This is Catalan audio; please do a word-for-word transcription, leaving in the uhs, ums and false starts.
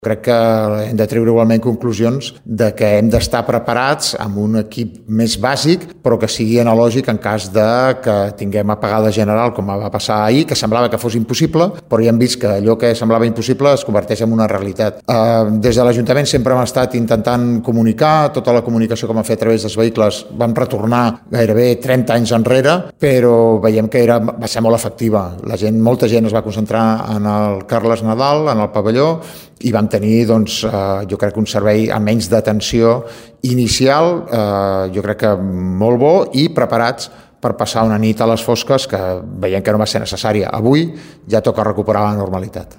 Crec que hem de treure igualment conclusions de que hem d'estar preparats amb un equip més bàsic, però que sigui analògic en cas de que tinguem apagada general, com va passar ahir, que semblava que fos impossible, però ja hem vist que allò que semblava impossible es converteix en una realitat. Eh, des de l'Ajuntament sempre hem estat intentant comunicar, tota la comunicació que hem fet a través dels vehicles vam retornar gairebé trenta anys enrere, però veiem que era, va ser molt efectiva. La gent, molta gent es va concentrar en el Carles Nadal, en el pavelló, i vam tenir, doncs, eh, jo crec que un servei amb menys d'atenció inicial, eh, jo crec que molt bo i preparats per passar una nit a les fosques que veiem que no va ser necessària. Avui ja toca recuperar la normalitat.